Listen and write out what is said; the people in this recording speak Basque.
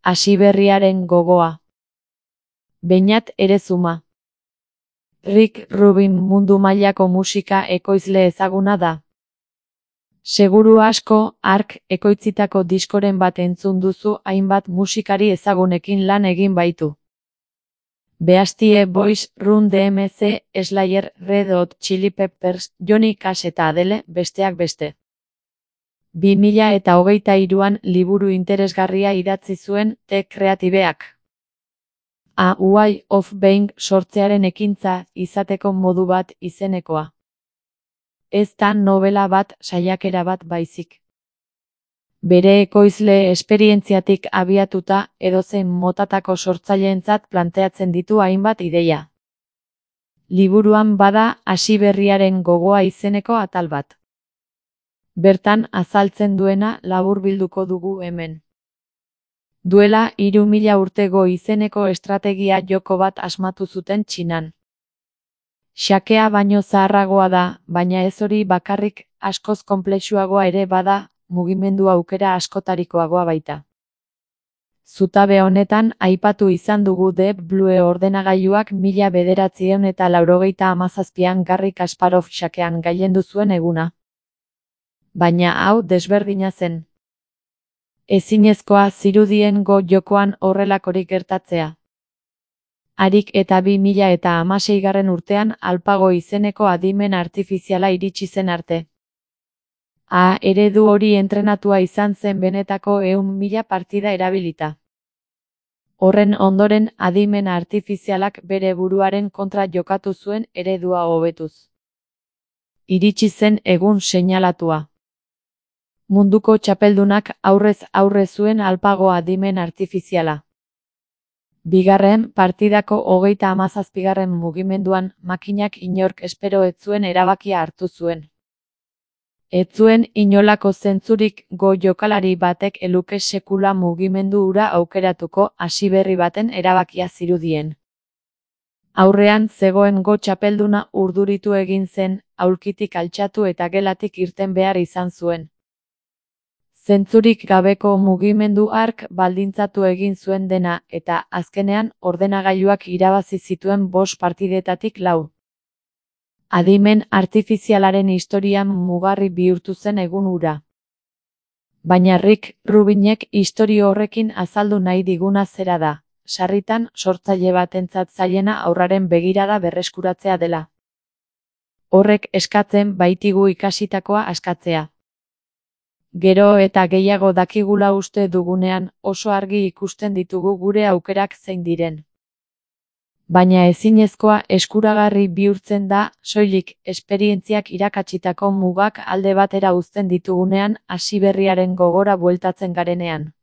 Hasiberriaren gogoa. Beñat Erezuma. Rick Rubin mundu mailako musika ekoizle ezaguna da. Seguru asko, hark ekoitzitako diskoren bat entzun duzu hainbat musikari ezagunekin lan egin baitu. Beastie Boys, Run DMC, Slayer, Red Hot Chili Peppers, Johnny Cash eta Adele, besteak beste. 2023an liburu interesgarria idatzi zuen The Creativeak. A Way of Being sortzearen ekintza izateko modu bat izenekoa. Ez da novela bat, saiakera bat baizik. Bere ekoizle esperientziatik abiatuta edozein motatako sortzaileentzat planteatzen ditu hainbat ideia. Liburuan bada Hasiberriaren gogoa izeneko atal bat. Bertan azaltzen duena laburbilduko dugu hemen. Duela 3000 urtego izeneko estrategia joko bat asmatu zuten Txinan. Xakea baino zaharragoa da, baina ez hori bakarrik, askoz konplexuagoa ere bada, mugimendu aukera askotarikoagoa baita. Zutabe honetan aipatu izan dugu Deep Blue ordenagailuak 1997an Garry Kasparov xakean gailendu zuen eguna. Baina hau desberdina zen. Ezinezkoa zirudien go jokoan horrelakorik gertatzea. Harik eta 2016 urtean AlphaGo izeneko adimen artifiziala iritsi zen arte. Eredu hori entrenatua izan zen benetako 100.000 partida erabilita. Horren ondoren adimen artifizialak bere buruaren kontra jokatu zuen eredua hobetuz. Iritsi zen egun seinalatua. Munduko txapeldunak aurrez aurre zuen AlphaGo adimen artifiziala. Bigarren partidako 37. mugimenduan makinak inork espero ez zuen erabakia hartu zuen. Ez zuen inolako zentzurik go jokalari batek eluke sekula mugimendu hura aukeratuko hasiberri baten erabakia zirudien. Aurrean zegoen go txapelduna urduritu egin zen, aulkitik altxatu eta gelatik irten behar izan zuen. Zentzurik gabeko mugimendu hark baldintzatu egin zuen dena eta azkenean ordenagailuak irabazi zituen 5 partidetatik 4. Adimen artifizialaren historian mugarri bihurtu zen egun hura. Baina Rick Rubinek istorio horrekin azaldu nahi diguna zera da, sarritan sortzaile batentzat zailena aurraren begirada berreskuratzea dela. Horrek eskatzen baitigu ikasitakoa askatzea. Gero eta gehiago dakigula uste dugunean oso argi ikusten ditugu gure aukerak zein diren. Baina ezinezkoa eskuragarri bihurtzen da, soilik esperientziak irakatsitako mugak alde batera uzten ditugunean Hasiberriaren gogora bueltatzen garenean.